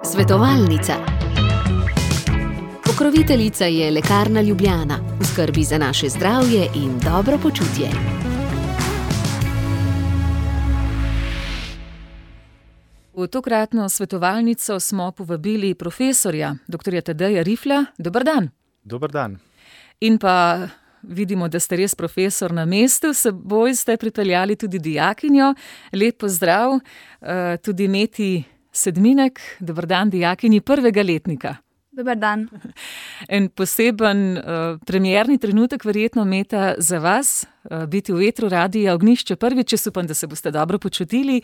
Svetovalnica. Pokroviteljica je Lekarna Ljubljana, v skrbi za naše zdravje in dobro počutje. V tokratno svetovalnico smo povabili profesorja, dr. Tadeja Riflja. Dober dan. Dober dan. In pa vidimo, da ste res profesor na mestu, s seboj ste pripeljali tudi dijakinjo. Lep pozdrav, tudi Meti Sedminek. Dober dan, dijakinji prvega letnika. Dober dan. En poseben premierni trenutek verjetno, Meta, za vas, biti v vetru Radia Ognjišče prvič. Jaz upam, da se boste dobro počutili.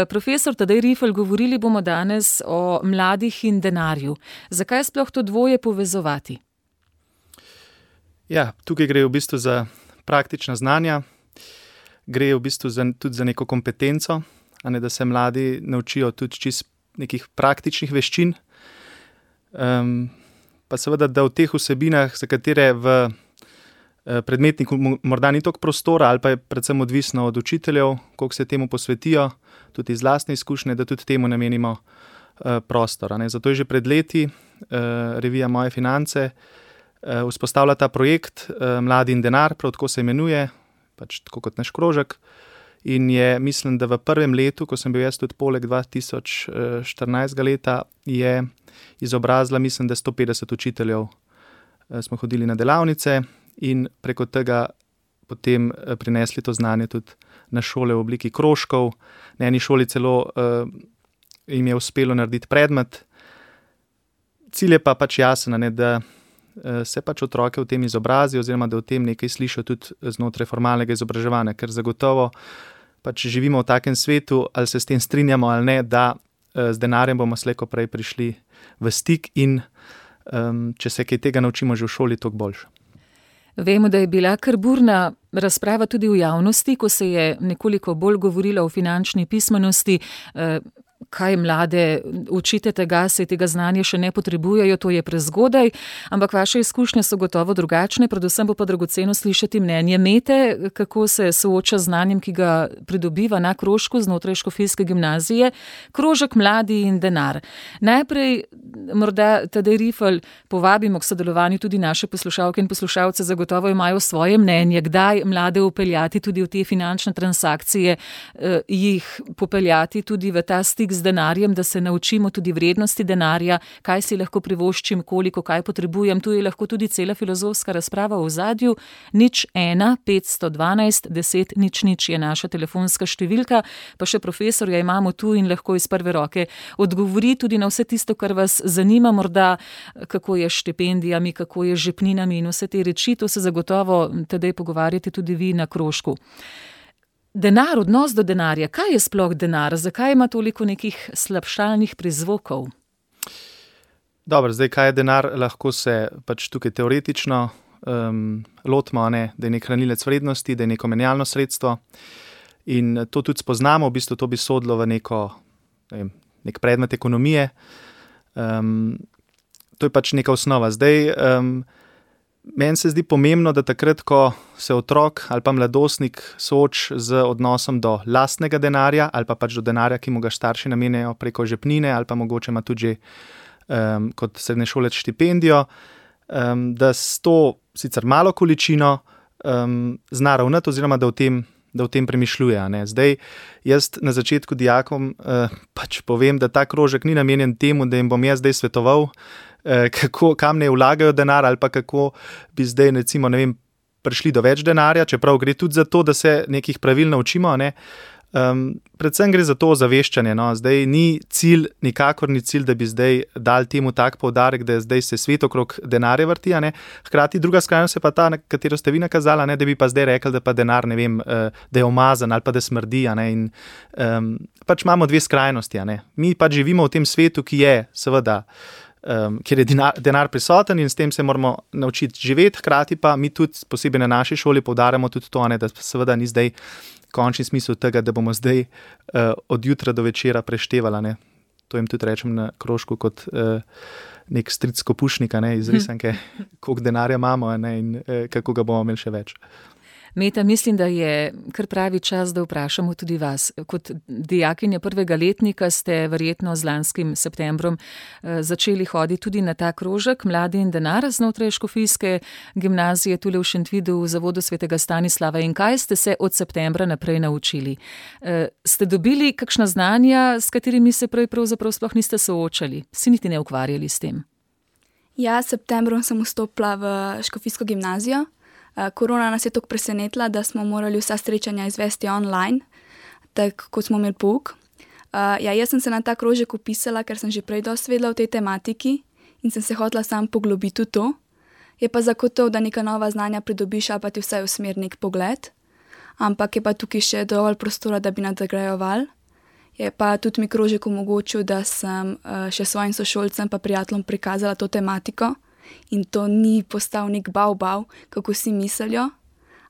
Profesor Tadej Rifl, govorili bomo danes o mladih in denarju. Zakaj sploh to dvoje povezovati? Ja, tukaj gre v bistvu za praktična znanja, gre v bistvu tudi za neko kompetenco, a ne, da se mladi naučijo tudi čist nekih praktičnih veščin. Pa seveda, da v teh vsebinah, za katere v predmetniku morda ni toliko prostora, ali pa je predvsem odvisno od učiteljev, koliko se temu posvetijo, tudi iz lastne izkušnje, da tudi temu namenimo prostor. Zato je že pred leti revija Moje finance vzpostavila ta projekt Mladi in denar, prav tako se imenuje, pač tako kot naš krožek. In je, mislim, da v prvem letu, ko sem bil jaz tudi poleg 2014 leta, je izobrazila, mislim, da 150 učiteljev. Smo hodili na delavnice in preko tega potem prinesli to znanje tudi na šole v obliki krožkov. Na eni šoli celo jim je uspelo narediti predmet. Cilj je pa pač jasen, ne, da se pač otroke v tem izobrazi oziroma da v tem nekaj slišijo tudi znotraj formalnega izobraževanja, ker zagotovo pač živimo v takem svetu, ali se s tem strinjamo ali ne, da z denarjem bomo slej ko prej prišli v stik in če se kaj tega naučimo že v šoli, toliko boljše. Vemo, da je bila kar burna razprava tudi v javnosti, ko se je nekoliko bolj govorilo o finančni pismenosti. Kaj mlade učite tega, se tega znanja še ne potrebujejo, to je prezgodaj, ampak vaše izkušnje so gotovo drugačne, predvsem bo pa dragoceno slišati mnenje Mete, kako se sooča z znanjem, ki ga pridobiva na krožku znotraj Škofijske gimnazije. Krožek Mladi in denar. Najprej morda Tadej Rifl povabimo k sodelovanju tudi naše poslušalke in poslušalce, zagotovo imajo svoje mnenje, kdaj mlade upeljati tudi v te finančne transakcije, jih popeljati tudi v ta stik z denarjem, da se naučimo tudi vrednosti denarja, kaj si lahko privoščim, koliko, kaj potrebujem. Tu je lahko tudi cela filozofska razprava v ozadju. 01 512 10 00 je naša telefonska številka, pa še profesorja imamo tu in lahko iz prve roke odgovori tudi na vse tisto, kar vas zanima, morda kako je s štipendijami, kako je z žepninami in vse te reči. To se zagotovo tedaj pogovarjate tudi vi na krožku. Denar, odnos do denarja. Kaj je sploh denar? Zakaj ima toliko nekih slabšalnih prizvokov? Dobro, zdaj, kaj je denar, lahko se pač tukaj teoretično lotimo, ne, da je nek hranilec vrednosti, da je neko menjalno sredstvo in to tudi spoznamo, v bistvu to bi sodilo v nek predmet ekonomije. To je pač neka osnova. Zdaj, meni se zdi pomembno, da takrat, ko se otrok ali pa mladostnik sooči z odnosom do lastnega denarja ali pa pač do denarja, ki mu ga starši namenjajo preko žepnine ali pa mogoče ima tudi že kot srednješolec štipendijo, da s to sicer malo količino zna ravnati oziroma da o tem premišljuje. Ne. Zdaj, jaz na začetku dijakom pač povem, da ta krožek ni namenjen temu, da jim bom jaz zdaj svetoval, kam ne vlagajo denar ali pa kako bi zdaj recimo, ne vem, prišli do več denarja, čeprav gre tudi za to, da se nekih pravil naučimo, ne. Predvsem gre za to ozaveščanje, no. Zdaj nikakor ni cilj, da bi zdaj dali temu tak poudarek, da zdaj se svet okrog denarja vrti, ne. Hkrati druga skrajnost je pa ta, na katero ste vi nakazala, ne, da bi pa zdaj rekli, da pa denar, ne vem, da je umazan ali pa da smrdi, ne, in pač imamo dve skrajnosti, ne. Mi pač živimo v tem svetu, ki je seveda kjer je denar prisoten in s tem se moramo naučiti živeti, hkrati pa mi tudi, posebej na naši šoli, poudarjamo tudi to, ne, da seveda ni zdaj končni smisel tega, da bomo zdaj od jutra do večera preštevali. Ne. To jim tudi rečem na krožku kot nek stric kopušnika, ne, iz risanke, koliko denarja imamo, ne, in kako ga bomo imeli še več. Meta, mislim, da je kar pravi čas, da vprašamo tudi vas. Kot dijakinja prvega letnika ste verjetno z lanskim septembrom začeli hoditi tudi na ta krožek Mladi in denar znotraj škofijske gimnazije tule v Šentvidu v Zavodu svetega Stanislava. In kaj ste se od septembra naprej naučili? Ste dobili kakšna znanja, s katerimi se prej pravzaprav sploh niste soočali? Si niti ne ukvarjali s tem? Ja, s septembrom sem vstopila v škofijsko gimnazijo. Korona nas je tako presenetila, da smo morali vsa srečanja izvesti online, tako kot smo imeli pouk. Jaz sem se na ta krožek vpisala, ker sem že prej dosti vedela o tej tematiki in sem se hotela sam poglobiti v to. Je pa zagotovo, da neka nova znanja pridobiš ali pa ti vsaj usmeri nek pogled, ampak je pa tukaj še dovolj prostora, da bi nadgrajeval. Je pa tudi mi krožek omogočil, da sem še svojim sošolcem pa prijateljem prikazala to tematiko. In to ni postal nek bav, kako si mislijo,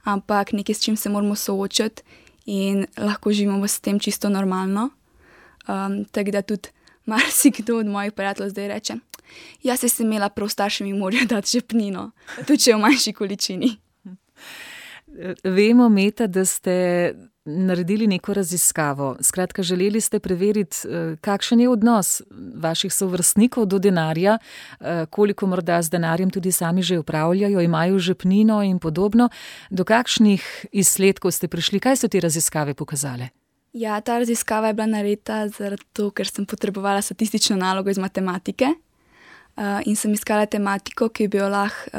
ampak nekaj, s čim se moramo soočati in lahko živimo s tem čisto normalno. Tako da tudi marsikdo od mojih prijateljev zdaj reče, jaz sem imela prav starši mi morajo dati žepnino, tudi če v manjši količini. Vemo, Meta, da ste naredili neko raziskavo. Skratka, želeli ste preveriti, kakšen je odnos vaših sovrstnikov do denarja, koliko morda z denarjem tudi sami že upravljajo, imajo žepnino in podobno. Do kakšnih izsledkov ste prišli? Kaj so te raziskave pokazale? Ja, ta raziskava je bila narejena zato, ker sem potrebovala statistično nalogo iz matematike in sem iskala tematiko, ki bi jo lahko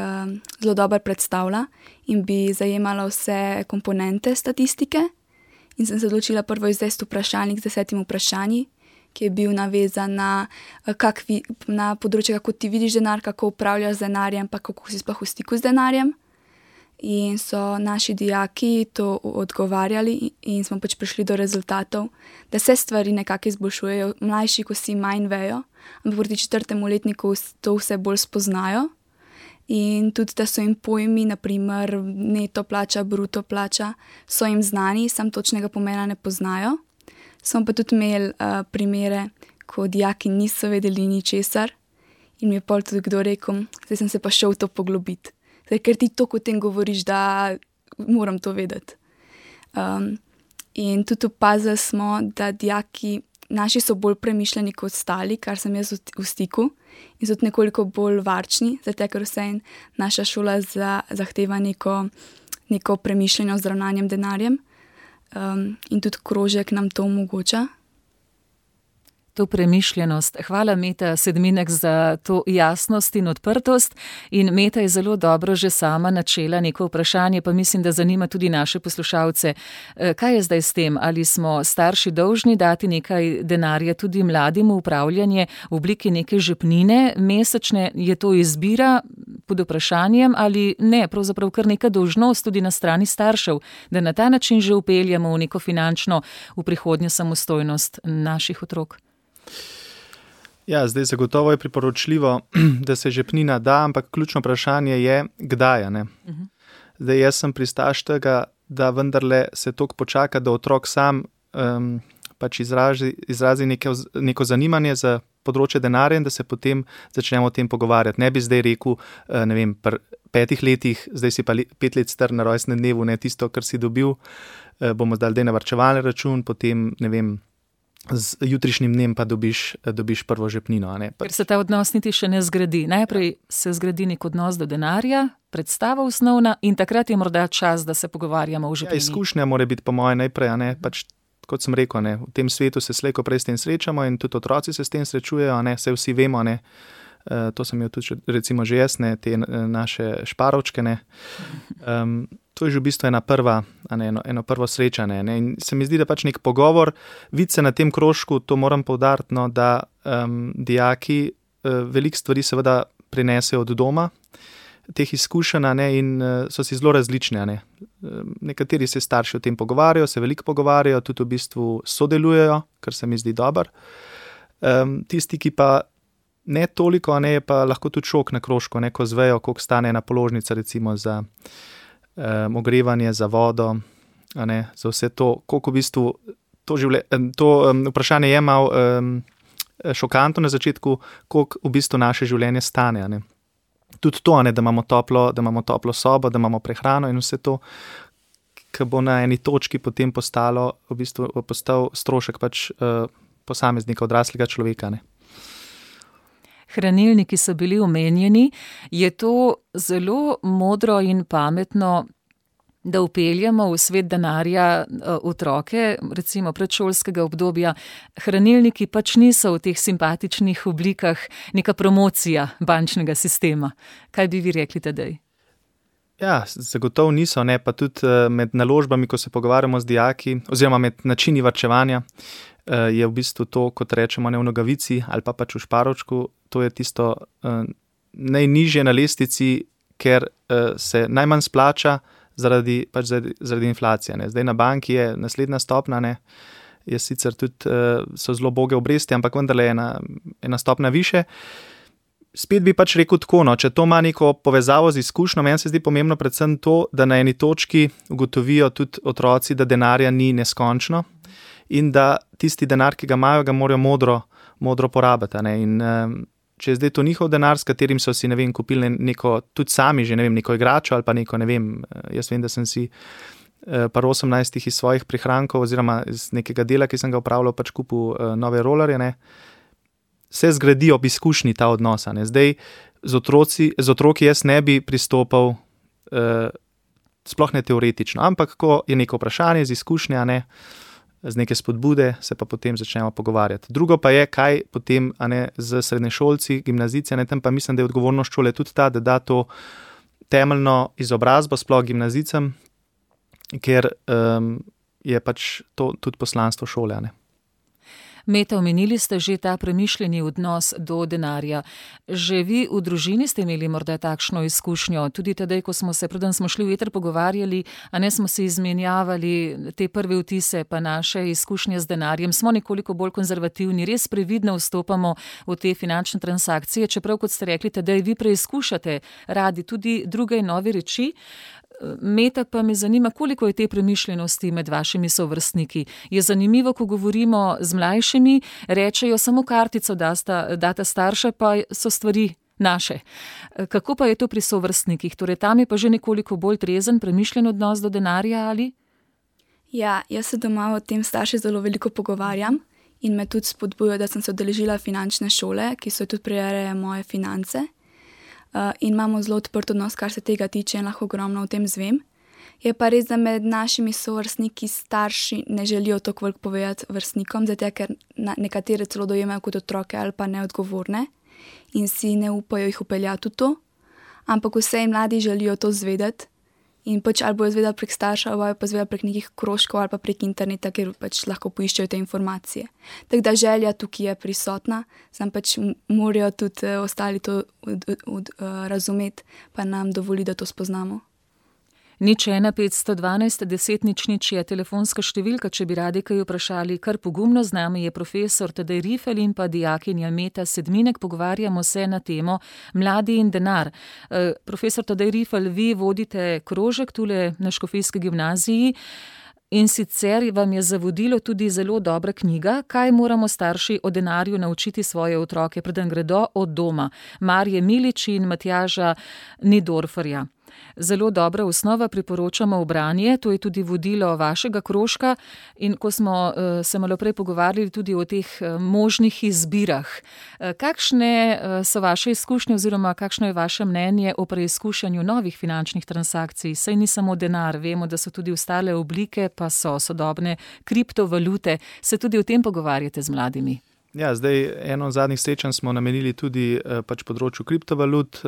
zelo dobro predstavila in bi zajemala vse komponente statistike. In sem se odločila prvo izvesti vprašalnik z 10 vprašanji, ki je bil navezan na področje, kako ti vidiš denar, kako upravljaš z denarjem, pa kako si sploh v stiku z denarjem. In so naši dijaki to odgovarjali in smo pač prišli do rezultatov, da se stvari nekako izboljšujejo. Mlajši, ko si manj vejo, ampak proti 4. letniku to vse bolj spoznajo. In tudi, da so jim pojmi, naprimer neto plača, bruto plača, so jim znani, sam točnega pomena ne poznajo. Smo pa tudi imeli primere, ko dijaki niso vedeli ničesar in mi je pol tudi kdo rekel, zdaj sem se pa šel v to poglobiti. Zdaj, ker ti toliko o tem govoriš, da moram to vedeti. In tudi opazili smo, da dijaki naši so bolj premišljeni kot ostali, kar sem jaz v stiku, in so tudi nekoliko bolj varčni, zato ker vse naša šola zahteva neko premišljeno z ravnanjem denarjem in tudi krožek nam to omogoča. To premišljenost. Hvala, Meta Sedminek, za to jasnost in odprtost. In Meta je zelo dobro že sama načela neko vprašanje, pa mislim, da zanima tudi naše poslušalce. Kaj je zdaj s tem? Ali smo starši dolžni dati nekaj denarja tudi mladim v upravljanje v obliki neke žepnine mesečne? Je to izbira pod vprašanjem ali ne? Pravzaprav kar neka dolžnost tudi na strani staršev, da na ta način že upeljamo v neko finančno v prihodnjo samostojnost naših otrok. Ja, zdaj zagotovo je priporočljivo, da se žepnina da, ampak ključno vprašanje je, kdaj. Zdaj jaz sem pristaš tega, da vendarle se toliko počaka, da otrok sam pač izrazi neko zanimanje za področje denarja in da se potem začnemo o tem pogovarjati. Ne bi zdaj rekel, ne vem, pri 5 letih, zdaj si pa 5 let star na rojstnem dnevu, ne tisto, kar si dobil, bomo zdaj na varčevalni račun, potem, ne vem, z jutrišnjim dnem pa dobiš prvo žepnino. Ker se ta odnos niti še ne zgradi. Najprej se zgradi nek odnos do denarja, predstava osnovna in takrat je morda čas, da se pogovarjamo o žepnini. Ja, izkušnja mora biti po moje najprej, pač, kot sem rekel, v tem svetu se slejko prej s tem srečamo in tudi otroci se s tem srečujejo, se vsi vemo, to sem imel tudi recimo že jaz, te naše šparovčke, to je že v bistvu eno prvo srečanje. In se mi zdi, da pač nek pogovor, vidi se na tem krožku, to moram poudariti, da dijaki veliko stvari seveda prinesejo od doma, teh izkušenj in so si zelo različne. Nekateri se starši o tem pogovarjajo, se veliko pogovarjajo, tudi v bistvu sodelujejo, kar se mi zdi dobro. Tisti, ki pa ne toliko, je pa lahko tudi šok na krožku, ko zvejo, koliko stane ena položnica recimo za ogrevanje, za vodo, za vse to, koliko v bistvu to vprašanje je malo šokantno na začetku, koliko v bistvu naše življenje stane. Tudi to, da imamo toplo sobo, da imamo prehrano in vse to, ki bo na eni točki potem postal strošek pač posameznika, odraslega človeka. Ne. Hranilniki so bili omenjeni. Je to zelo modro in pametno, da vpeljemo v svet denarja otroke, recimo predšolskega obdobja? Hranilniki pač niso v teh simpatičnih oblikah neka promocija bančnega sistema. Kaj bi vi rekli, Tadej? Ja, zagotovo niso, ne, pa tudi med naložbami, ko se pogovarjamo z dijaki, oziroma med načini varčevanja, je v bistvu to, kot rečemo, ne v nogavici ali pa pač v šparočku, to je tisto najnižje na lestvici, ker se najmanj splača zaradi inflacije. Ne. Zdaj na banki je naslednja stopna, ne, je sicer tudi so zelo boge obresti, ampak vendarle je ena stopna više. Spet bi pač rekel tako, no, če to ima neko povezavo z izkušnjo, meni se zdi pomembno predvsem to, da na eni točki ugotovijo tudi otroci, da denarja ni neskončno in da tisti denar, ki ga imajo, ga morajo modro porabiti. Ne. In če je zdaj to njihov denar, s katerim so si, ne vem, kupili neko, tudi sami že, ne vem, neko igračo ali pa neko, ne vem, jaz vem, da sem si par 18 iz svojih prihrankov oziroma iz nekega dela, ki sem ga upravljal, pač kupil nove rolerje, ne. Se zgradi ob izkušnji ta odnos. Ne. Zdaj z otroki jaz ne bi pristopal sploh ne teoretično, ampak ko je neko vprašanje z izkušnja, ne, z neke spodbude, se pa potem začnemo pogovarjati. Drugo pa je, kaj potem z srednješolci, gimnazijci, tam pa mislim, da je odgovornost šole tudi ta, da da to temeljno izobrazbo sploh gimnazijcem, ker je pač to tudi poslanstvo šole. Ne. Meta, omenili ste že ta premišljeni odnos do denarja. Že vi v družini ste imeli morda takšno izkušnjo? Tudi tedaj, ko smo se, preden smo šli v eter pogovarjali, a ne smo si izmenjavali te prve vtise pa naše izkušnje z denarjem. Smo nekoliko bolj konzervativni, res previdno vstopamo v te finančne transakcije, čeprav, kot ste rekli, tedaj vi preizkušate radi tudi druge in nove reči. Meta, pa me zanima, koliko je te premišljenosti med vašimi sovrstniki. Je zanimivo, ko govorimo z mlajšimi, rečejo samo kartico data starša, pa so stvari naše. Kako pa je to pri sovrstnikih? Torej, tam je pa že nekoliko bolj trezen, premišljen odnos do denarja, ali? Ja, jaz se doma o tem starši zelo veliko pogovarjam in me tudi spodbujajo, da sem se udeležila finančne šole, ki so tudi prirejajo moje finance. In imamo zelo odprt odnos, kar se tega tiče, in lahko ogromno o tem zvem. Je pa res, da med našimi sovrstniki starši ne želijo toliko veliko povedati vrstnikom, zato ker nekatere celo dojemajo kot otroke ali pa neodgovorne in si ne upajo jih vpeljati v to, ampak vse mladi želijo to zvedeti in pač ali bojo zvedeli prek starša, ali pa zvedeli prek nekih krožkov ali pa prek interneta, kjer pač lahko poiščejo te informacije. Tako da želja tukaj je prisotna, sam pač morajo tudi ostali to razumeti, pa nam dovoli, da to spoznamo. 01 512 10 00 je telefonska številka, če bi radi kaj vprašali. Kar pogumno, z nami je profesor Tadej Rifel in pa dijakinja Meta Sedminek. Pogovarjamo se na temo mladi in denar. Profesor Tadej Rifel, vi vodite krožek tule na Škofijski gimnaziji in sicer vam je za vodilo tudi zelo dobra knjiga, Kaj moramo starši o denarju naučiti svoje otroke, preden gredo od doma. Marje Milič in Matjaža Nidorferja. Zelo dobra osnova, priporočamo v branje, to je tudi vodilo vašega krožka in ko smo se malo prej pogovarjali tudi o teh možnih izbirah. Kakšne so vaše izkušnje oziroma kakšno je vaše mnenje o preizkušanju novih finančnih transakcij? Saj ni samo denar, vemo, da so tudi ostale oblike, pa so sodobne kriptovalute. Se tudi o tem pogovarjate z mladimi? Ja, zdaj eno od zadnjih srečanj smo namenili tudi pač področju kriptovalut.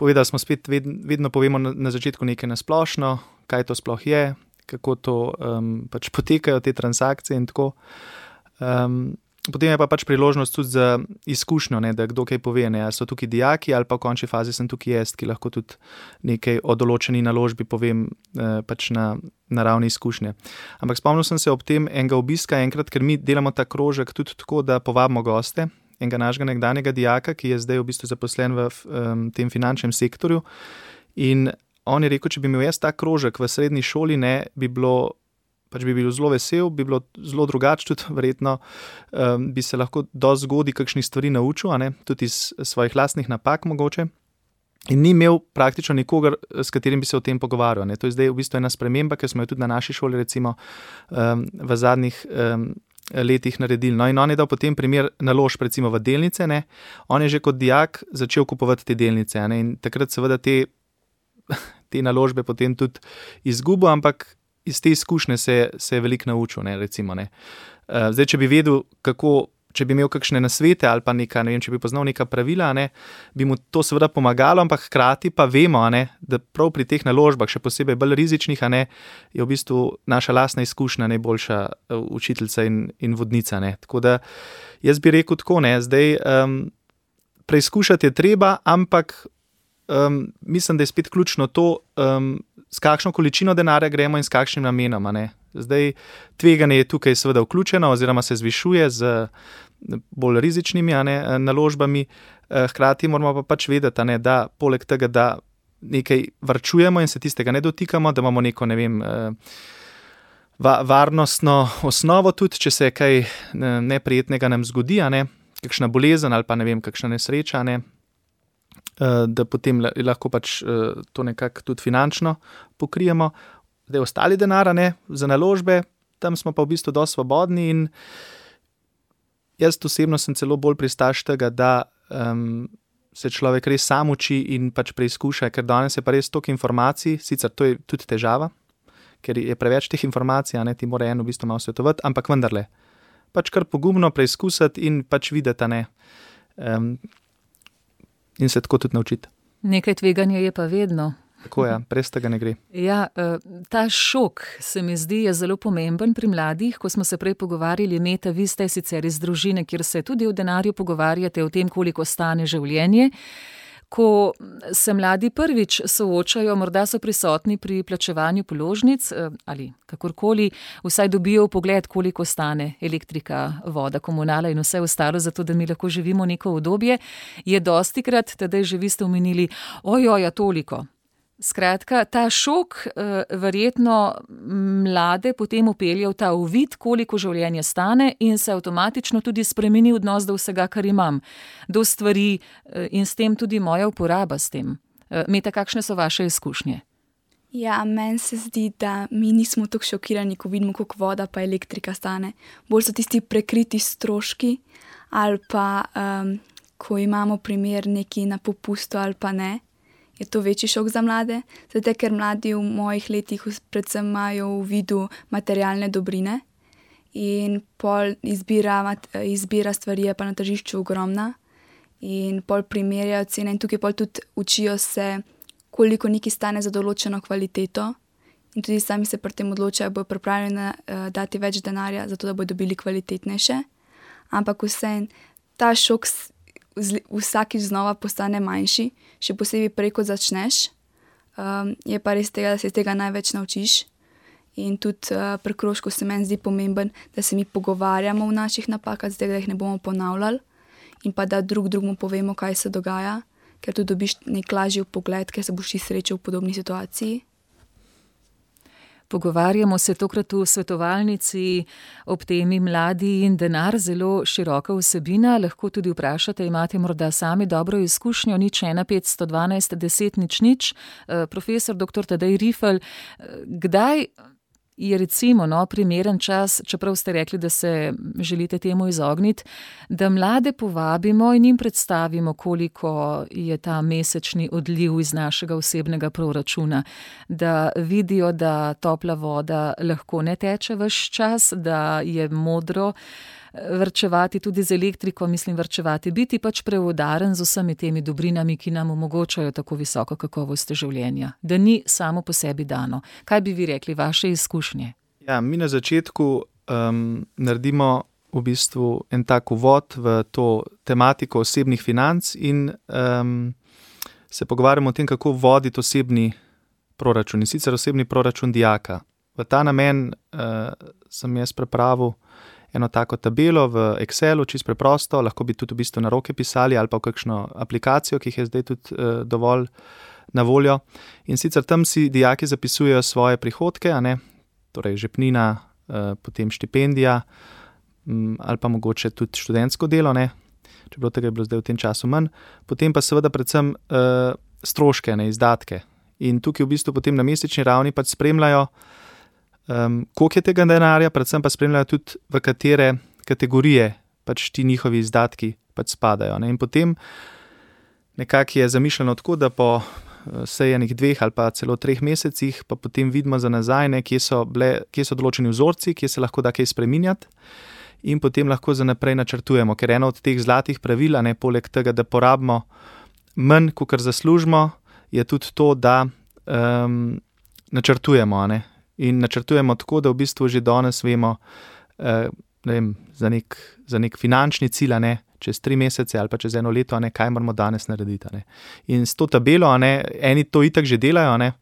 Povedali smo spet, vedno povemo na začetku nekaj nasplošno, kaj to sploh je, kako to pač potekajo te transakcije in tako. Potem je pa pač priložnost tudi za izkušnjo, ne, da kdo kaj pove, ne, ali so tukaj dijaki ali pa v končni fazi sem tukaj jaz, ki lahko tudi nekaj o določeni naložbi povem pač na ravni izkušnje. Ampak spomnil sem se ob tem enega obiska enkrat, ker mi delamo ta krožek tudi tako, da povabimo goste, enega našega nekdanjega dijaka, ki je zdaj v bistvu zaposlen v tem finančnem sektorju. In on je rekel, če bi imel jaz ta krožek v srednji šoli, ne, bi bil zelo vesel, bi bilo zelo drugače, tudi verjetno bi se lahko dosti zgodaj kakšnih stvari naučil, ne, tudi iz svojih lastnih napak mogoče. In ni imel praktično nikogar, s katerim bi se o tem pogovarjal. Ne. To je zdaj v bistvu ena sprememba, ki smo jo tudi na naši šoli recimo v zadnjih letih naredili. No, in on je dal potem primer naložb recimo v delnice. Ne. On je že kot dijak začel kupovati te delnice, ne. In takrat seveda te naložbe potem tudi izgubil, ampak iz te izkušnje se je veliko naučil, ne, recimo. Ne. Zdaj, če bi vedel, če bi imel kakšne nasvete ali pa če bi poznal neka pravila, ne, bi mu to seveda pomagalo, ampak hkrati pa vemo, ne, da prav pri teh naložbah, še posebej bolj rizičnih, ne, je v bistvu naša lastna izkušnja najboljša učiteljica in vodnica. Ne. Tako da jaz bi rekel tako, ne, zdaj preizkušati je treba, ampak mislim, da je spet ključno to, s kakšno količino denarja gremo in s kakšnim namenom. Ne. Zdaj, tveganje je tukaj seveda vključeno oziroma se zvišuje z bolj rizičnimi naložbami, hkrati moramo pa pač vedeti, ne, da poleg tega, da nekaj varčujemo in se tistega ne dotikamo, da imamo neko, ne vem, varnostno osnovo tudi, če se kaj neprijetnega nam zgodi, ne, kakšna bolezen ali pa ne vem, kakšna nesreča, ne, da potem lahko pač to nekako tudi finančno pokrijemo. Zdaj ostali denar, ne, za naložbe, tam smo pa v bistvu dosti svobodni in jaz osebno sem celo bolj pristaš tega, da se človek res sam uči in pač preizkuša, ker danes je pa res toliko informacij, sicer to je tudi težava, ker je preveč teh informacij, ne, ti mora eno v bistvu malo svetovati, ampak vendarle, pač kar pogumno preizkusiti in pač videti, ne, in se tako tudi naučiti. Nekaj tveganja je pa vedno. Tako je, brez tega ne gre. Ja, ta šok se mi zdi je zelo pomemben pri mladih, ko smo se prej pogovarjali, Meta, vi ste sicer iz družine, kjer se tudi o denarju pogovarjate, o tem, koliko stane življenje. Ko se mladi prvič soočajo, morda so prisotni pri plačevanju položnic ali kakorkoli, vsaj dobijo pogled, koliko stane elektrika, voda, komunala in vse ostalo, zato da mi lahko živimo neko obdobje, je dostikrat, tedaj že vi ste omenili, ojoja, toliko. Skratka, ta šok verjetno mlade potem upelje v ta uvid, koliko življenje stane in se avtomatično tudi spremeni odnos do vsega, kar imam, do stvari in s tem tudi moja uporaba s tem. Meta, kakšne so vaše izkušnje? Ja, meni se zdi, da mi nismo tako šokirani, ko vidimo, koliko voda pa elektrika stane. Bolj so tisti prekriti stroški ali pa ko imamo primer neki na popustu ali pa ne. Je to večji šok za mlade, zato ker mladi v mojih letih predvsem imajo v vidu materialne dobrine in pol izbira stvari je pa na tržišču ogromna in pol primerjajo cene in tukaj pol tudi učijo se, koliko nekaj stane za določeno kvaliteto in tudi sami se pri tem odločajo, bojo pripravljeni dati več denarja, zato da bojo dobili kvalitetnejše, ampak vseeno ta šok vsakič znova postane manjši, še posebej prej, ko začneš, je pa res tega, da se tega največ naučiš in tudi pri krožku se meni zdi pomemben, da se mi pogovarjamo v naših napakah, zato da jih ne bomo ponavljali in pa da drugmu povemo, kaj se dogaja, ker tudi dobiš nek lažji pogled, ker se boš ti srečal v podobni situaciji. Pogovarjamo se tokrat v svetovalnici ob temi mladi in denar, zelo široka vsebina. Lahko tudi vprašate, imate morda sami dobro izkušnjo, 015 512 10 00. Profesor dr. Tadej Rifelj, kdaj je recimo primeren čas, čeprav ste rekli, da se želite temu izogniti, da mlade povabimo in jim predstavimo, koliko je ta mesečni odliv iz našega osebnega proračuna, da vidijo, da topla voda lahko ne teče ves čas, da je modro varčevati tudi z elektriko, mislim varčevati, biti pač preudaren z vsemi temi dobrinami, ki nam omogočajo tako visoko kakovost življenja, da ni samo po sebi dano. Kaj bi vi rekli, vaše izkušnje? Ja, mi na začetku naredimo v bistvu en tak uvod v to tematiko osebnih financ in se pogovarjamo o tem, kako voditi osebni proračun, in sicer osebni proračun dijaka. V ta namen sem jaz pripravil eno tako tabelo v Excelu, čisto preprosto, lahko bi tudi v bistvu na roke pisali ali pa v kakšno aplikacijo, ki jih je zdaj tudi dovolj na voljo. In sicer tam si dijaki zapisujejo svoje prihodke, torej žepnina, potem štipendija ali pa mogoče tudi študentsko delo, čeprav tega je bilo zdaj v tem času manj. Potem pa seveda predvsem stroške, ne, izdatke. In tukaj v bistvu potem na mesečni ravni pač spremljajo, koliko je tega denarja, predvsem pa spremljajo tudi, v katere kategorije pač ti njihovi izdatki pač spadajo. Ne. In potem nekako je zamišljeno tako, da po enih 2 ali pa celo 3 mesecih pa potem vidimo za nazaj, ne, kje so določeni vzorci, kje se lahko da kaj spreminjati in potem lahko za naprej načrtujemo, ker eno od teh zlatih pravil, ne, poleg tega, da porabimo manj, kakor zaslužimo, je tudi to, da načrtujemo, ne, in načrtujemo tako, da v bistvu že danes vemo, ne vem, za nek finančni cilj, ne, čez 3 mesece ali pa čez 1 leto, ne, kaj moramo danes narediti. Ne. In s to tabelo, ne, eni to itak že delajo, ne,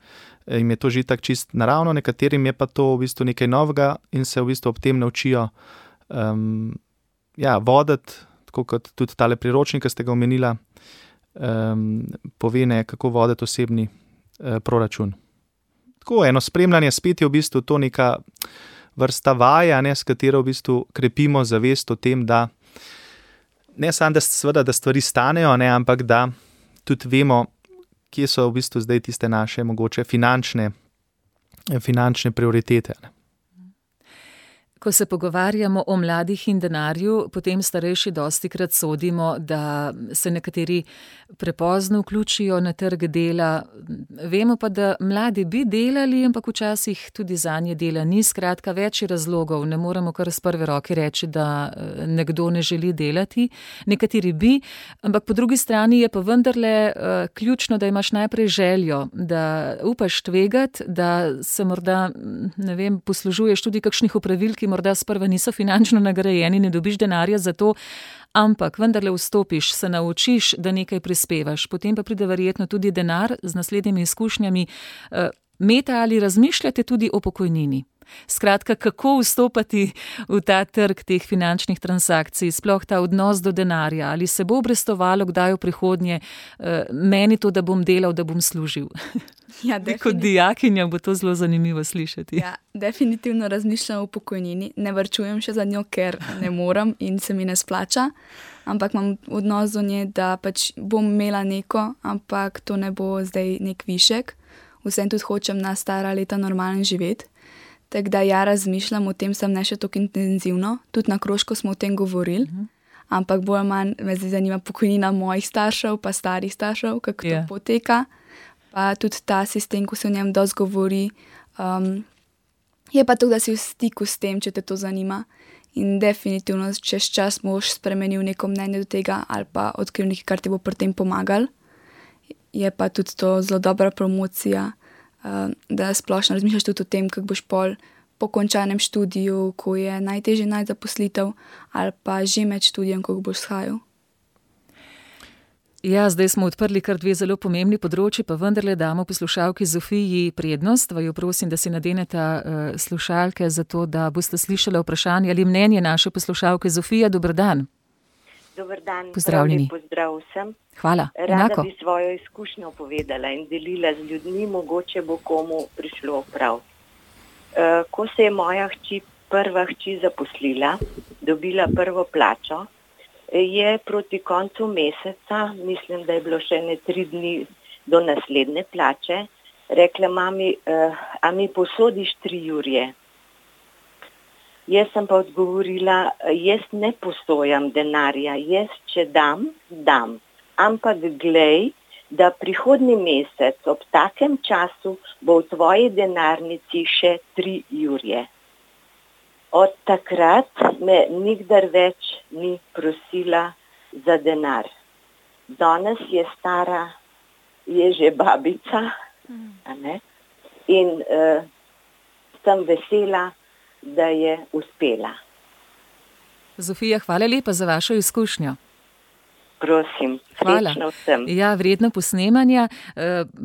jim je to že itak čist naravno, nekaterim je pa to v bistvu nekaj novega in se v bistvu ob tem naučijo voditi, tako kot tudi tale priročnik, ki ste ga omenila, pove, ne, kako voditi osebni proračun. Tako eno spremljanje, spet je v bistvu to neka vrsta vaja, ne, s katero v bistvu krepimo zavest o tem, da ne samo, da seveda, da stvari stanejo, ne, ampak da tudi vemo, kje so v bistvu zdaj tiste naše mogoče finančne prioritete. Ne. Ko se pogovarjamo o mladih in denarju, potem starejši dostikrat sodimo, da se nekateri prepozno vključijo na trg dela. Vemo pa, da mladi bi delali, ampak včasih tudi zanje dela ni. Skratka, več razlogov. Ne moremo kar s prve roke reči, da nekdo ne želi delati. Nekateri bi, ampak po drugi strani je pa vendarle ključno, da imaš najprej željo, da upaš tvegati, da se morda, ne vem, poslužuješ tudi kakšnih opravil, ki morda sprva niso finančno nagrajeni, ne dobiš denarja za to, ampak vendarle vstopiš, se naučiš, da nekaj prispevaš. Potem pa pride verjetno tudi denar z naslednjimi izkušnjami. Meta, ali razmišljate tudi o pokojnini? Skratka, kako vstopati v ta trg teh finančnih transakcij, sploh ta odnos do denarja, ali se bo obrestovalo kdaj v prihodnje meni to, da bom delal, da bom služil? Ja, kot dijakinja bo to zelo zanimivo slišati. Ja, definitivno razmišljam o pokojnini. Ne varčujem še za njo, ker ne moram in se mi ne splača, ampak imam odnos do nje, da pač bom imela neko, ampak to ne bo zdaj nek višek. Vsem tudi hočem na stara leta normalno živeti. Tako da ja, razmišljam o tem, sem ne še tako intenzivno. Tudi na krožku smo o tem govorili, ampak bolj manj me zanima pokojnina mojih staršev, pa starih staršev, kako to poteka. Pa tudi ta sistem, ko se o njem dosti govori, je pa to, da si v stiku s tem, če te to zanima. In definitivno čez čas boš spremenil neko mnenje do tega ali pa odkril nekaj, kar ti bo pri tem pomagal. Je pa tudi to zelo dobra promocija, da splošno razmišljaš tudi o tem, kako boš po končanem študiju, ko je najtežje najti zaposlitev, ali pa že med študijem, kako boš shajal. Ja, zdaj smo odprli kar 2 zelo pomembni področji, pa vendarle damo poslušalki Zofiji prednost. Vaju prosim, da si nadeneta slušalke, zato da boste slišali vprašanje ali mnenje naše poslušalke. Zofija, dober dan. Dober dan, pozdravljeni. Pozdrav vsem. Hvala, Rada enako. Bi svojo izkušnjo povedala in delila z ljudmi, mogoče bo komu prišlo prav. Ko se je moja prva hči zaposlila, dobila prvo plačo, je proti koncu meseca, mislim, da je bilo še 3 dni do naslednje plače, rekla mami, a mi posodiš 3 jurje? Jaz sem pa odgovorila, jaz ne posojam denarja, jaz če dam, ampak glej, da prihodnji mesec ob takem času bo v tvoji denarnici še 3 jurje. Od takrat me nikdar več ni prosila za denar. Danes je stara, je že babica, a ne? In sem vesela, da je uspela. Zofija, hvala lepa za vašo izkušnjo. Prosim, hvala. Srečno vsem. Ja, vredno posnemanja.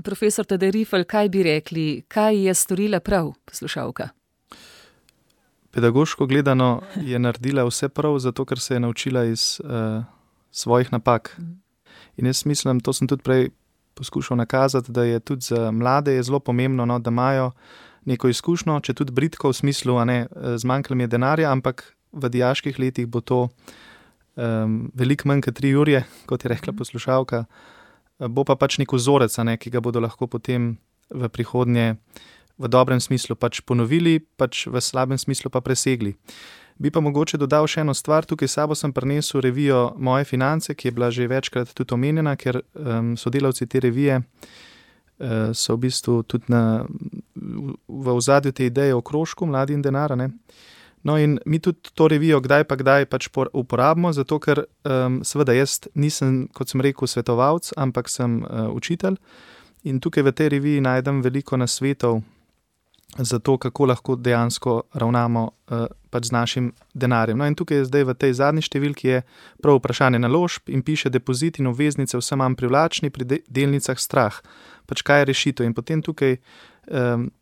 Profesor Tadej Rifl, kaj bi rekli, kaj je storila prav poslušalka? Pedagoško gledano je naredila vse prav, zato ker se je naučila iz svojih napak. In jaz mislim, to sem tudi prej poskušal nakazati, da je tudi za mlade je zelo pomembno, no, da imajo neko izkušnjo, če tudi bridko v smislu, a ne, zmanjkalo mi je denarja, ampak v dijaških letih bo to veliko manj kot 3 jurje, kot je rekla poslušalka, bo pa pač nek vzorec, ki ga bodo lahko potem v prihodnje v dobrem smislu pač ponovili, pač v slabem smislu pa presegli. Bi pa mogoče dodal še eno stvar, tukaj sabo sem prinesel revijo Moje finance, ki je bila že večkrat tudi omenjena, ker sodelavci te revije so v bistvu tudi v ozadju te ideje o krožku Mladi in denar. No in mi tudi to revijo kdaj pač uporabimo, zato ker seveda jaz nisem, kot sem rekel, svetovalec, ampak sem učitelj in tukaj v tej reviji najdem veliko nasvetov za to, kako lahko dejansko ravnamo pač z našim denarjem. No in tukaj je zdaj v tej zadnji številki je prav vprašanje naložb in piše depozit in obveznice vse manj privlačni, pri delnicah strah. Pač kaj je rešitev? In potem tukaj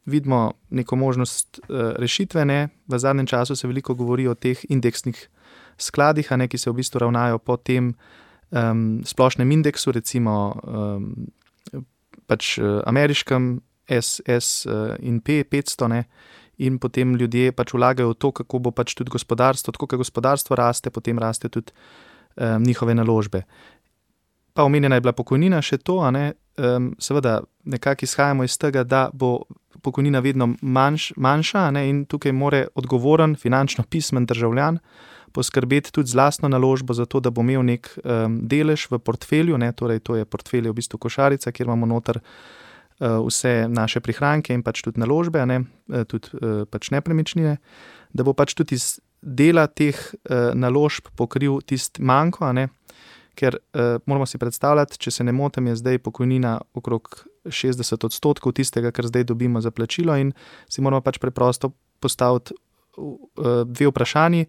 vidimo neko možnost rešitve. V zadnjem času se veliko govori o teh indeksnih skladih, ki se v bistvu ravnajo po tem splošnem indeksu, recimo pač ameriškem S&P 500, in potem ljudje pač vlagajo v to, kako bo pač tudi gospodarstvo, tako kot gospodarstvo raste, potem raste tudi njihove naložbe. Pa omenjena je bila pokojnina, še to, seveda nekako izhajamo iz tega, da bo pokojnina vedno manjša, in tukaj mora odgovoren, finančno pismen državljan poskrbeti tudi z lastno naložbo za to, da bo imel nek delež v portfelju, torej to je portfelj v bistvu košarica, kjer imamo noter vse naše prihranke in pač tudi naložbe, tudi pač nepremičnine, da bo pač tudi iz dela teh naložb pokril tisti manko, ker moramo si predstavljati, če se ne motim, je zdaj pokojnina okrog 60% tistega, kar zdaj dobimo za plačilo in si moramo pač preprosto postaviti dve vprašanji,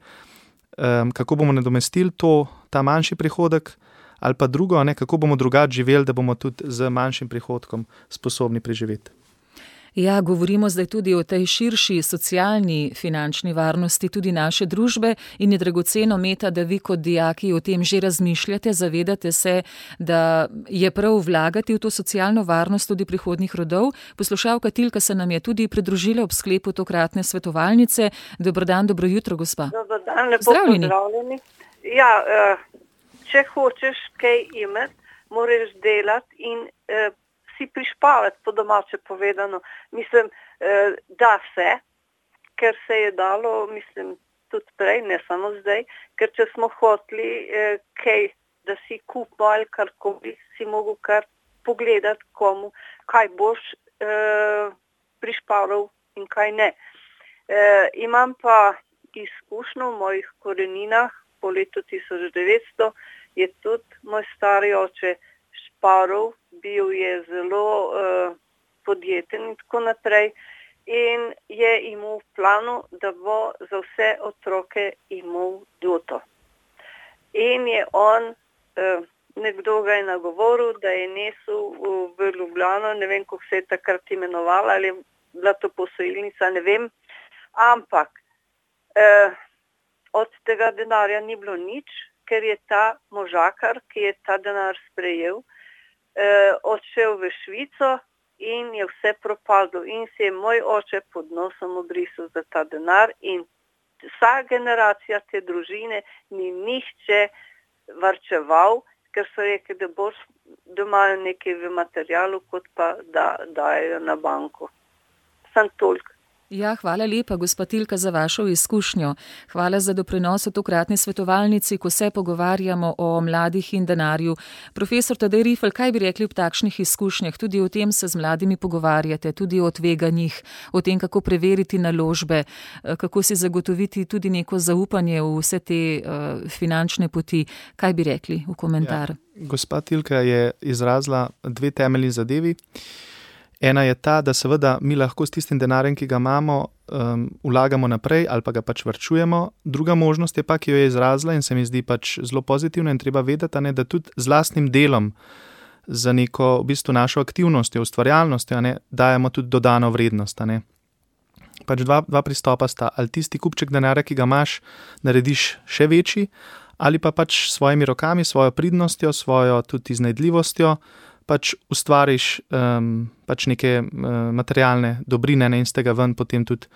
kako bomo nadomestili ta manjši prihodek, ali pa drugo, kako bomo drugače živeli, da bomo tudi z manjšim prihodkom sposobni preživeti. Ja, govorimo zdaj tudi o tej širši socialni finančni varnosti tudi naše družbe in je dragoceno, Meta, da vi kot dijaki o tem že razmišljate, zavedate se, da je prav vlagati v to socialno varnost tudi prihodnjih rodov. Poslušalka Tilka se nam je tudi pridružila ob sklepu tokratne svetovalnice. Dober dan, dobro jutro, gospa. Dober dan, lepo pozdravljeni. Ja, če hočeš kaj imeti, moraš delati in si prišpavati, po domače povedano. Mislim, da se, ker se je dalo, mislim, tudi prej, ne samo zdaj, ker če smo hoteli kaj, da si kupimo ali karkoli, si mogel kar pogledati komu, kaj boš prišpavljal in kaj ne. Imam pa izkušnjo v mojih koreninah, po letu 1900 je tudi moj stari oče šparal, bil je zelo podjeten in tako naprej in je imel v planu, da bo za vse otroke imel doto. In je on, nekdo ga je nagovoril, da je nesel v Ljubljano, ne vem, kako se je takrat imenovala, ali je bila to posojilnica, ne vem, ampak od tega denarja ni bilo nič, ker je ta možakar, ki je ta denar sprejel, odšel v Švico in je vse propadlo. In se je moj oče pod nosom obrisal za ta denar in vsa generacija te družine ni nihče varčeval, ker so rekli, da boš doma nekaj v materialu, kot pa da dajo na banko. Sam toliko. Ja, hvala lepa, gospa Tilka, za vašo izkušnjo. Hvala za doprinos v tokratni svetovalnici, ko se pogovarjamo o mladih in denarju. Profesor Tadej Rifl, kaj bi rekli ob takšnih izkušnjah? Tudi o tem se z mladimi pogovarjate, tudi o tveganjih, o tem, kako preveriti naložbe, kako si zagotoviti tudi neko zaupanje v vse te finančne poti. Kaj bi rekli v komentar? Ja, gospa Tilka je izrazila dve temeljni zadevi. Ena je ta, da seveda mi lahko s tistim denarjem, ki ga imamo, vlagamo naprej ali pa ga pač varčujemo. Druga možnost je pa, ki jo je izrazila in se mi zdi pač zelo pozitivna in treba vedeti, da tudi z lastnim delom, za neko v bistvu našo aktivnostjo, ustvarjalnostjo, dajemo tudi dodano vrednost. Pač dva pristopa sta, ali tisti kupček denarja, ki ga imaš, narediš še večji, ali pa pač s svojimi rokami, svojo pridnostjo, svojo tudi iznajdljivostjo, pač ustvariš pač neke materialne dobrine in z tega ven potem tudi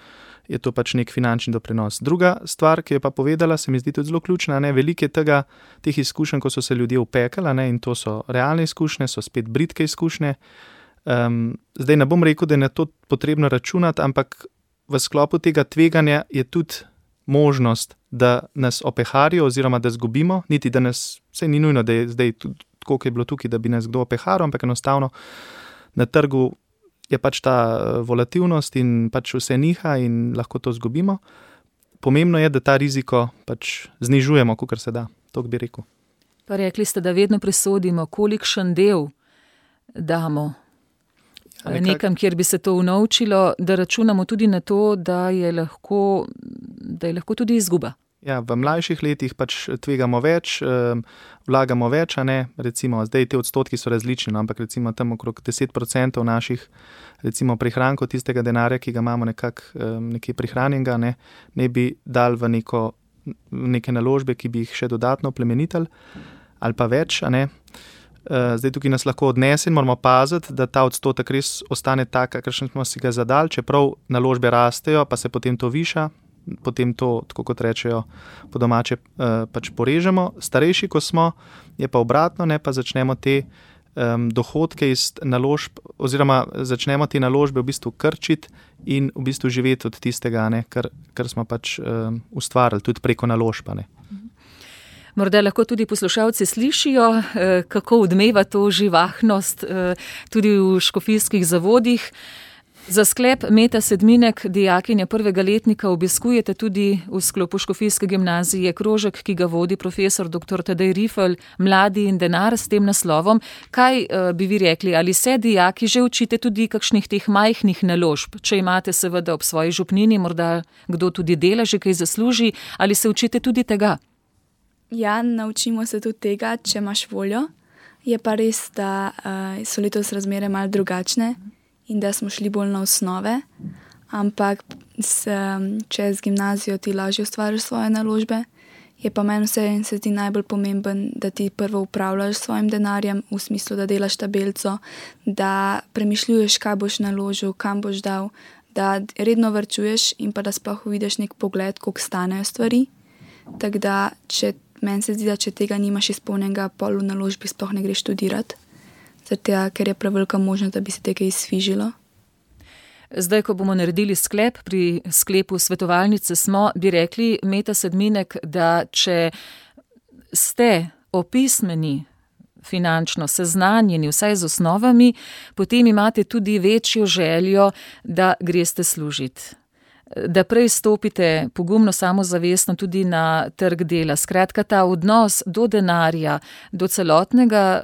je to pač nek finančni doprinos. Druga stvar, ki je pa povedala, se mi zdi tudi zelo ključna, veliko je teh izkušenj, ko so se ljudje upekali, in to so realne izkušnje, so spet bridke izkušnje. Zdaj ne bom rekel, da je na to potrebno računati, ampak v sklopu tega tveganja je tudi možnost, da nas opeharijo oziroma da zgubimo, niti da nas, vse ni nujno, da je zdaj tudi tako, kot je bilo tukaj, da bi nas kdo opeharal, ampak enostavno na trgu je pač ta volatilnost in pač vse niha in lahko to zgubimo. Pomembno je, da ta riziko pač znižujemo, kolikor se da, to bi rekel. Pa rekli ste, da vedno presodimo, kolikšen del damo nekam, kjer bi se to unovčilo, da računamo tudi na to, da je lahko tudi izguba. Ja, v mlajših letih pač tvegamo več, vlagamo več, recimo zdaj te odstotki so različni, ampak recimo tam okrog 10% naših recimo prihrankov tistega denarja, ki ga imamo nekje prihranjenega, ne bi dal v neke naložbe, ki bi jih še dodatno plemenitili ali pa več, Zdaj tukaj nas lahko odnese in moramo paziti, da ta odstotek res ostane tak, kakršen smo si ga zadali, čeprav naložbe rastejo, pa se potem to viša, potem to, tako kot rečejo po domače, pač porežemo. Starejši, ko smo, je pa obratno, pa začnemo te dohodke iz naložb, oziroma začnemo te naložbe v bistvu krčiti in v bistvu živeti od tistega, kar smo pač ustvarili, tudi preko naložb. Morda lahko tudi poslušalci slišijo, kako odmeva to živahnost tudi v škofijskih zavodih. Za sklep Meta Sedminek, dijakinja prvega letnika, obiskujete tudi v sklopu škofijske gimnazije krožek, ki ga vodi profesor dr. Tadej Rifelj, Mladi in denar, s tem naslovom. Kaj bi vi rekli, ali se dijaki že učite tudi kakšnih teh majhnih naložb? Če imate seveda ob svoji župnini, morda kdo tudi dela, že kaj zasluži, ali se učite tudi tega? Ja, naučimo se tudi tega, če imaš voljo. Je pa res, da so letos razmere malo drugačne in da smo šli bolj na osnove, ampak čez gimnazijo ti lažje ustvariš svoje naložbe. Je pa meni se zdi najbolj pomemben, da ti prvo upravljaš s svojim denarjem, v smislu, da delaš tabelco, da premišljuješ, kaj boš naložil, kam boš dal, da redno varčuješ in pa da sploh vidiš nek pogled, koliko stanejo stvari. Tako da, meni se zdi, da če tega nimaš izpolnjenega, pol v naložbi sploh ne greš študirati, ker je prevelika možnost, da bi se tega izfižilo. Zdaj, ko bomo naredili sklep, pri sklepu svetovalnice smo, bi rekli, Meta Sedminek, da če ste opismeni, finančno seznanjeni, vsaj z osnovami, potem imate tudi večjo željo, da greste služiti. Da prej stopite pogumno, samozavestno tudi na trg dela. Skratka, ta odnos do denarja, do celotnega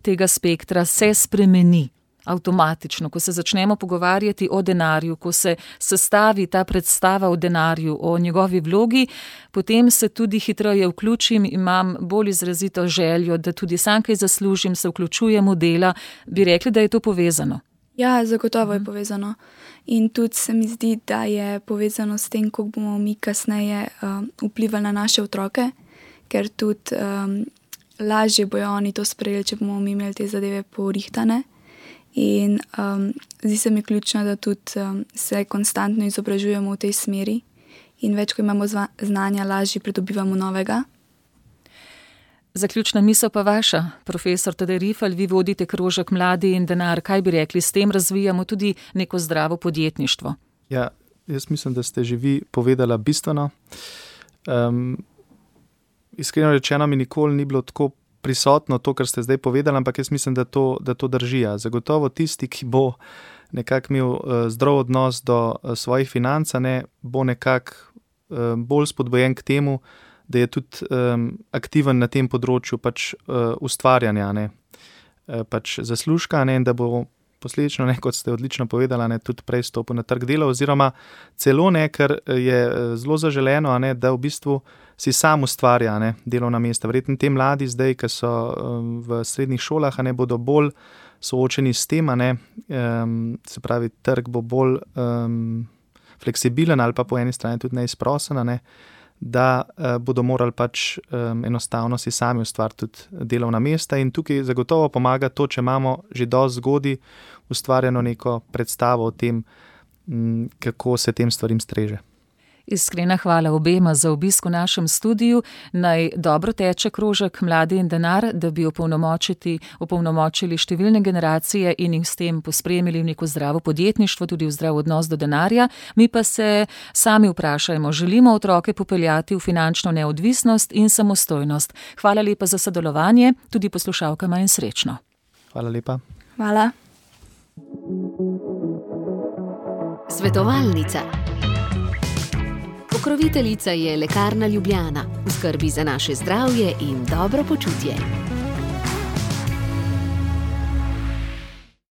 tega spektra se spremeni avtomatično. Ko se začnemo pogovarjati o denarju, ko se sestavi ta predstava o denarju, o njegovi vlogi, potem se tudi hitreje vključim, imam bolj izrazito željo, da tudi sam kaj zaslužim, se vključujem v dela. Bi rekli, da je to povezano? Ja, zagotovo je povezano. In tudi se mi zdi, da je povezano s tem, kako bomo mi kasneje vplivali na naše otroke, ker tudi lažje bojo oni to sprejeli, če bomo mi imeli te zadeve porihtane. In zdi se mi ključno, da tudi se konstantno izobražujemo v tej smeri in več, ko imamo znanja, lažje pridobivamo novega. Zaključna misel pa vaša, profesor Tadej Rifelj, vi vodite krožek Mladi in denar. Kaj bi rekli, s tem razvijamo tudi neko zdravo podjetništvo? Ja, jaz mislim, da ste že vi povedala bistveno. Iskreno rečeno mi nikoli ni bilo tako prisotno to, kar ste zdaj povedali, ampak jaz mislim, da to drži. Zagotovo tisti, ki bo nekako imel zdrav odnos do svojih financ, bo nekako bolj spodbojen k temu, da je tudi aktiven na tem področju pač ustvarjanja, pač zaslužka, in da bo posledično, kot ste odlično povedali, tudi prej stopil na trg dela, oziroma celo ker je zelo zaželeno, da v bistvu si sam ustvarja delovna mesta. Verjetno te mladi zdaj, ki so v srednjih šolah, bodo bolj soočeni s tem, se pravi, trg bo bolj fleksibilen ali pa po eni strani tudi neizprosen, da bodo morali pač enostavno si sami ustvariti tudi delovna mesta, in tukaj zagotovo pomaga to, če imamo že dosti zgodaj ustvarjeno neko predstavo o tem, kako se tem stvarim streže. Iskrena hvala obema za obisk v našem studiu. Naj dobro teče krožek Mladi in denar, da bi opolnomočili številne generacije in jih s tem pospremili v neko zdravo podjetništvo, tudi v zdrav odnos do denarja. Mi pa se sami vprašajmo, želimo otroke popeljati v finančno neodvisnost in samostojnost. Hvala lepa za sodelovanje, tudi poslušalkama in srečno. Hvala lepa. Hvala. Svetovalnica. Pokroviteljica je Lekarna Ljubljana, v skrbi za naše zdravje in dobro počutje.